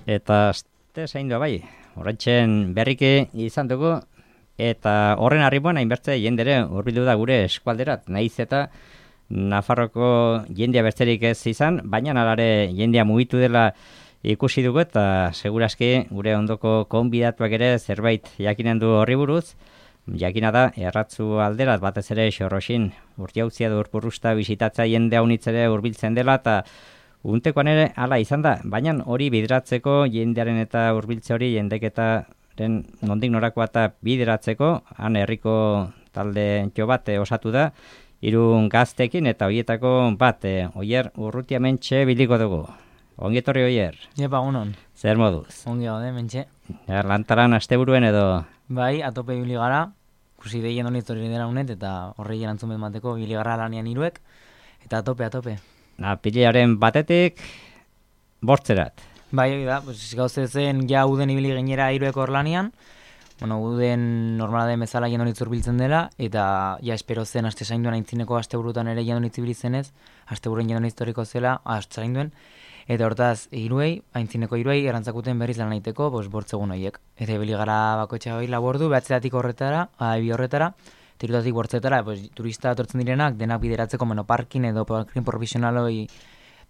Eta azte zain du bai, horretxen berriki izan dugu, eta horren arribuan hainbertze jendere hurbildu da gure eskualderat, nahiz eta Nafarroko jendea bertzerik ez izan, baina alare jendea mugitu dela ikusi dugu eta segurazki gure ondoko konbidatuak ere zerbait jakinen du horri buruz. Jakina da, erratzu alderat batez ere Xorroxin urtiauzia du urpurrusta bisitatza jendea unitzere hurbiltzen dela eta untekoan ere hala izan da, baina hori bideratzeko jendearen eta hurbiltze hori jendeketaren nondik norakoa eta bideratzeko, han herriko talde jo bat osatu da, 3 gaztekin eta hoietako bat, Oier Urrutia mentxe biliko dugu. Ongi etorri Oier. Jepa, unon. Zer moduz? Ongi gaude, mentxe. Lantaran asteburuen edo? Bai, atope ibili gara, kusi deien honi histori dela unet, eta horrei erantzun mateko ibili gara lanian hiruek, eta atope. Pilaren batetik, bortzerat. Bai, hori da, gauze zen ja uden ibili gainera hiruek hor lanian, uden normala den bezala jendonitz urbiltzen dela, eta ja espero zen aste zainduen aintzineko asteburutan ere jendonitz ibilizenez, asteburuen jendonitz historiko zela, aste zainduen, eta hortaz aintzineko hiruei erantzakuten berriz lan egiteko, bortzegun horiek. Eta ibili gara bakoitza gai labordu, behatzeatik horretara, bi horretara, tirutatik bortzetara, turista atortzen direnak, denak bideratzeko parkin edo parkin profesionaloi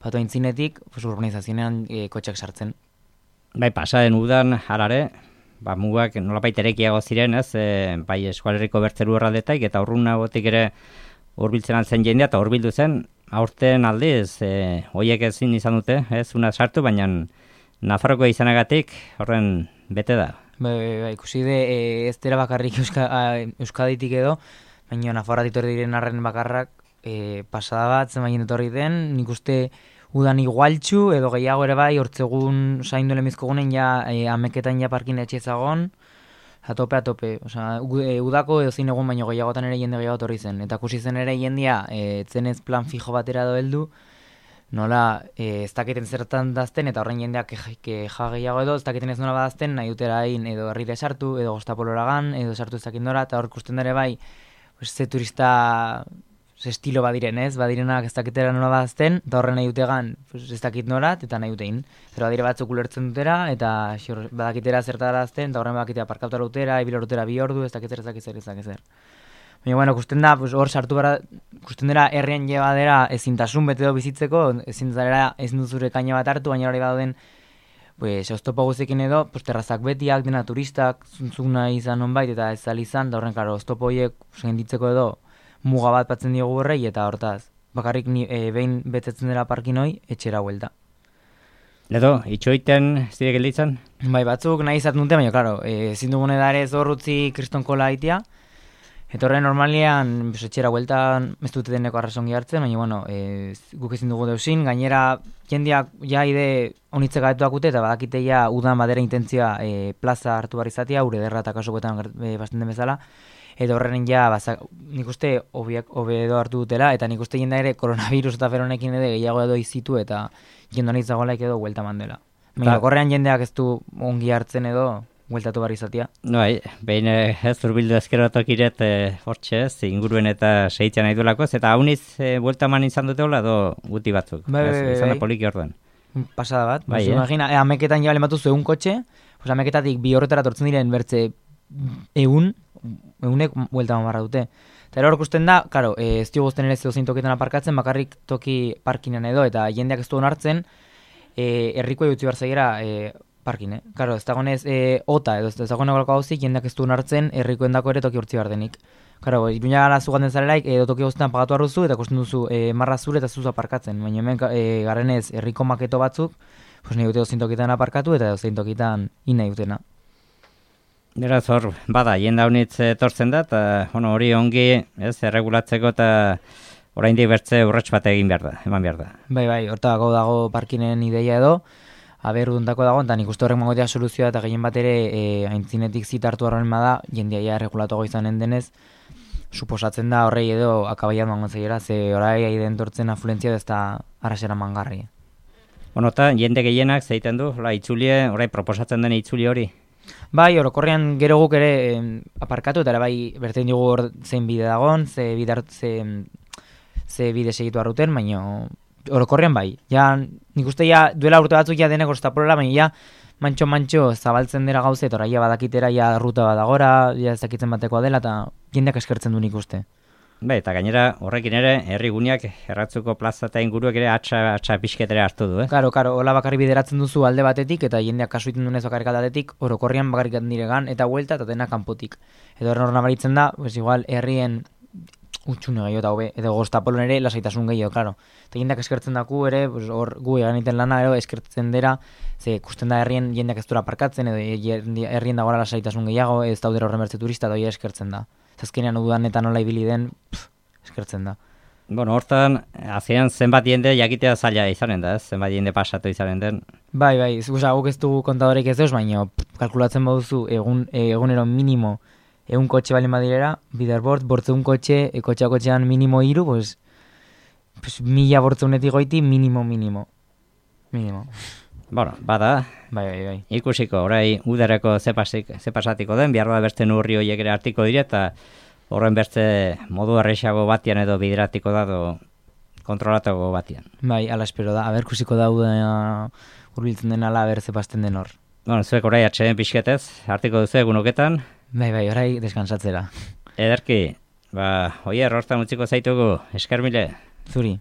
batu aintzinetik, urbanizazionean kotxak sartzen. Bai, pasaren udan, harare, mugak nolapait erekiago ziren, ez, bai eskualerriko bertzeru erraldetak, eta urrunagotik ere hurbiltzen altzen jendea, eta hurbildu zen, aurten aldiz, hoiek ezin izan dute, ez, una sartu, baina Nafarroko izanagatik horren bete da. Bai, ikusi de, ez dira bakarrik Euskaditik edo, baina Nafarroatik etorri diren arren bakarrak pasada bat, zen etorri den, nik uste udan igualtxu, edo gehiago ere bai, hortzegun zaindu lemizkogunen ja ameketan ja parkin etxezagon, atope. Osea, udako edo zein egun baino gehiagotan ere jende gehiago etorri zen. Eta kusi zen ere jendia, zenez plan fijo batera heldu, nola ez dakiten zertan dazten, eta horren jendeak keja gehiago edo, ez dakiten ez nola badazten, nahi dutera hain edo herrire sartu, edo gostapoloragan, edo sartu ez dakindora, eta hor kusten dere bai, ze turista estilo badiren, ez? Badirenak ez dakitera nola badazten, eta horren nahi dutegan ez dakit norat, eta nahi dutein. Pero badire batzuk ulertzen dutera, eta badakitera zertara dazten, eta horren badakitera parkauta rutera, ibila rutera 2 ordu, ez dakitera ez dakitzer. Baina, bueno, kusten da, hor sartu bara, kusten dira herrian llebadera ezintasun bete do bizitzeko, ezin duzure kaina bat hartu, baina hori badoden, oztopo guztiekin edo, terrazak betiak, dena turistak, zuntzuk nahi izan onbait, eta ez izan, da horren, karo, oztopo horiek senditzeko edo, muga bat batzen diogu horrei, eta hortaz, bakarrik behin betetzen dela parkin hoi, etxera huelta. Edo, itxoiten zire gelditzen? Bai, batzuk nahi izaten dute, baina, klaro, ezin dugune da ere zorrutzi kristonkola haitia, eta horren normalian, etxera hueltan ez dute deneko arrazongi hartzen, baina, bueno, guk ezin dugu deusin, gainera, jendeak ja ide honitze gaetuak eta badakite ja udan badera intentzioa plaza hartu bar izatea, ure derra eta kasokoetan basten den bezala, eta horren ja, nik uste hobedo hartu dutela, eta nik uste jenda ere koronavirus eta feronekin edo gehiago edo izitu, eta jendonitz dagoelaik edo huelta mandela. Baina, horrean jendeak ez du ongi hartzen edo, hueltatu bar izatea. Bai, behin ez urbildu ezkerotok iret hortxe ez, inguruen eta segitzen nahi duelakoz, eta hauniz buelta man izan dute hola do guti batzuk. Bai. Izan da poliki orduan. Pasada bat. Bai, imagina, ameketan jabale batu zuen kotxe, ameketatik 2 horretara tortzen diren bertze egunek buelta man barra dute. Eta hor ikusten da, karo, ez dio guzten ere zeozein tokietan aparkatzen, bakarrik toki parkinan edo, eta jendeak ez du onartzen, herriko utzi barzaiera parkin, Karo, ez dagoenez ota edo ez dagoeneko gauzik, jendeak ez du onartzen herrikoendako ere toki urtzi behar denik. Karo, Iruña gara zugaten zarelaik, edo toki guztetan pagatu arruzu, eta ikusten duzu marra zure eta zuzu aparkatzen. Baina hemen garenez herriko maketo batzuk, nahi dute dozein tokietan aparkatu eta dozein tokietan nahi dutena. Beraz hor, bada, jenda honitz etortzen da, eta hori ongi erregulatzeko eta oraindik bertze urrats bat eman behar da. Bai, hortako dago parkinen ideia edo, udundako dago, eta nik uste horrek mangotea soluzioa eta gehien bat ere aintzinetik zita hartu horren bada, jendia regulatuago izanen denez, suposatzen da horrei edo akabaian mangon zeiera, ze orai aiden tortzen afluentzia ez da arrasera mangarri. Eta jende gehienak zeiten du, itzulie, orai proposatzen den itzuli hori? Bai, orokorrean gero guk ere aparkatu, eta ere bai bertein dugu zein bide dagon, ze bide segitu arruten, baina orokorrean bai. Ja, nik uste ja, duela urte batzuk ja denek ostapolola, baina ja, mantxo zabaltzen dira gauze, eta ja badakitera, ja ruta badagora, ja ezakitzen batekoa dela, eta jendeak eskertzen du nik uste. Eta gainera horrekin ere, herri guneak erratzuko plaza eta inguruak ere atxa pixketere hartu du, Karo, hola bakarri bideratzen duzu alde batetik, eta jendeak kasu iten dunez bakarrik aldatetik, orokorrian bakarrik diregan, eta huelta, eta dena kanpotik. Edo hor nabaritzen da, pues igual, herrien utxune gehiago eta hobe, edo goztapolon ere lasaitasun gehiago, klaro. Eta jendeak eskertzen daku ere, pues, hor gu egiten lana, ero, eskertzen dira, ze ikusten da herrien jendeak ez dura parkatzen, edo herrien dagoela lasaitasun gehiago, ez daudera horren bertze turista, doi eskertzen da. Azkenean udan eta nola ibili den, eskertzen da. Bueno, hortan, azian zenbat jende jakitea zaila izanen da, zenbat jende pasatu izanen den. Bai, guk ez dugu kontadorek ez deus, baina kalkulatzen baduzu egunero minimo egun kotxe balen badirera, biderbord, bortzeun kotxe, kotxean minimo 3, pues 1000 bortzeunetik goiti minimo. Bueno, bada, Bai. ikusiko, orai udareko ze pasatiko den, behar da beste nurri horiek ere hartiko dire, eta horren beste modu errexago batian edo bideratiko da, edo kontrolatuko batian. Bai, ala espero da, aber kusiko da urbiltzen den ala, aber zepazten den hor. Bueno, zuek orai atxeden pixketez, hartiko duzu egunoketan. Bai, orai deskansatzera. Ederki, oier, hortan utziko zaitugu, esker mile. Zuri.